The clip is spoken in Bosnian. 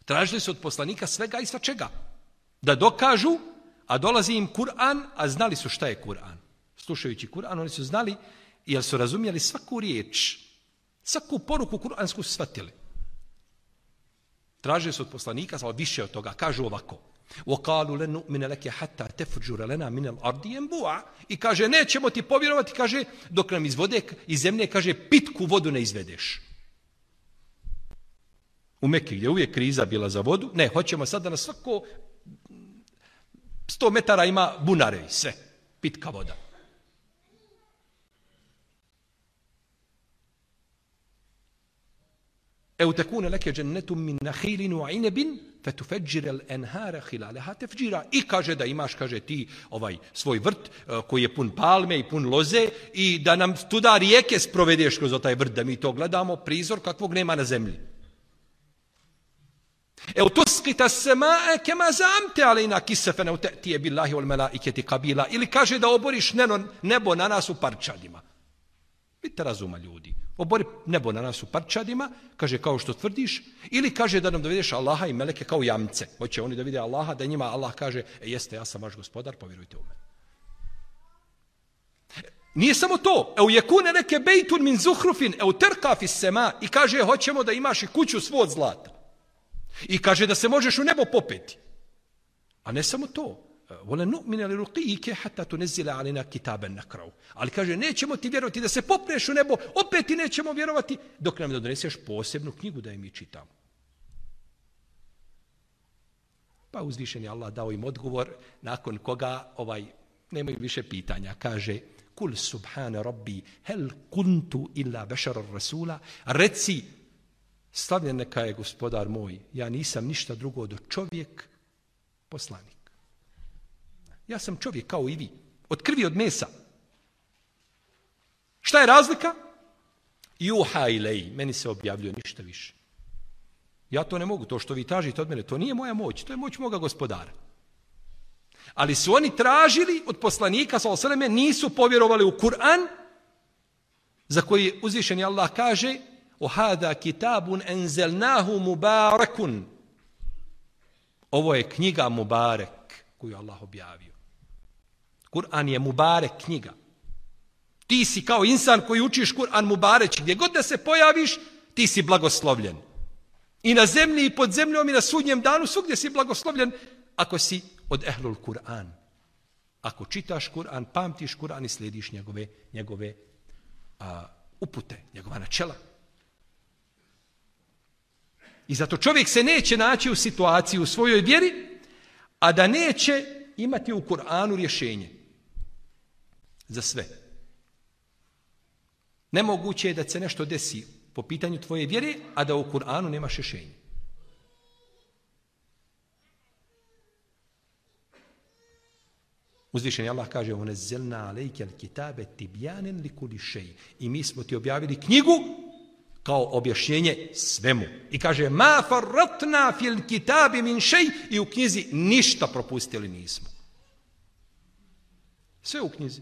Tražili su od poslanika svega i svačega. Da dokažu, a dolazi im Kur'an, a znali su šta je Kur'an. Slušajući Kur'an, oni su znali, jer su razumjeli svaku riječ, svaku poruku kur'ansku su shvatili. Tražili su od poslanika, ali više od toga, kažu ovako. وَقَالُوا لَنْ نُؤْمِنَ لَكَ حَتَّى تَفْجُرَ لَنَا مِنَ الْأَرْضِ يَنْبُوعًا. I kaže, nećemo ti povjerovati, kaže, dok nam iz zemlje, kaže, pitku vodu ne izvedeš. U Mekki gdje uvijek kriza bila za vodu, ne, hoćemo sad da na svako 100 metara ima bunare i sve, pitka voda. أو تكون لك جنة من نخيل وعنب فتفجر الأنهار خلالها تفجيرا. I kaže da imaš, kaže ti, svoj vrt koji je pun palme i pun loze i da nam tuda rijeke sprovedeš kroz taj vrt, da mi to gledamo, prizor kakvog nema na zemlji. أو تسقط السماء كما زعمت علينا كسفا أو تأتي بالله والملائكة قبيلا. Ili kaže da oboriš nebo na nas u parčadima. Vidite razuma ljudi. Obori nebo na nas u parčadima, kaže kao što tvrdiš, ili kaže da nam dovedeš Allaha i meleke kao jamce. Hoće oni da vide Allaha, da njima Allah kaže, jeste, ja sam vaš gospodar, povjerujte u mene. Nije samo to. Eu yekune leke bejtun min zuhrufin, eu terka fis sema. I kaže, hoćemo da imaš i kuću svu od zlata. I kaže da se možeš u nebo popeti. A ne samo to. وَلَنْ نُؤْمِنَ لِرُقِيِّكَ حَتَّى تُنَزِّلَ عَلَيْنَا كِتَابًا نَقْرَأُهُ. Ali kaže, nećemo ti vjerovati da se popneš u nebo, opet ti nećemo vjerovati dok nam doneseš posebnu knjigu da je mi čitamo. Pa uzvišen je Allah dao im odgovor, nakon koga nemaju više pitanja. Kaže, kul subhana rabbi, hel kuntu illa bešara rasula. Reci, slavljen neka je gospodar moj, ja nisam ništa drugo do čovjek, poslanik. Ja sam čovjek kao i vi, od krvi, od mesa. Šta je razlika? Juha ilej, meni se objavljuje ništa više. Ja to ne mogu, to što vi tražite od mene, to nije moja moć, to je moć moga gospodara. Ali su oni tražili od poslanika, sallallahu alejhi ve selleme, nisu povjerovali u Kur'an, za koji uzvišeni Allah kaže, o hada kitabun enzelnahu mubarakun. Ovo je knjiga Mubarek, koju Allah objavio. Kur'an je Mubarek knjiga. Ti si kao insan koji učiš Kur'an Mubareć, gdje god da se pojaviš, ti si blagoslovljen. I na zemlji, i pod zemljom, i na sudnjem danu, svugdje si blagoslovljen, ako si od ehlul Kur'an. Ako čitaš Kur'an, pamtiš Kur'an i slijediš njegove upute, njegova načela. I zato čovjek se neće naći u situaciji u svojoj vjeri, a da neće imati u Kur'anu rješenje za sve. Nemoguće je da se nešto desi po pitanju tvoje vjere, a da u Kur'anu nemaš rješenje. Uzvišeni Allah kaže: "Unazzalna alejkel kitabe tibyanan likulli shay." I mi smo ti objavili knjigu kao objašnjenje svemu. I kaže: "Ma farratna fil kitabi min shay." I u knjizi ništa propustili nismo. Sve u knjizi.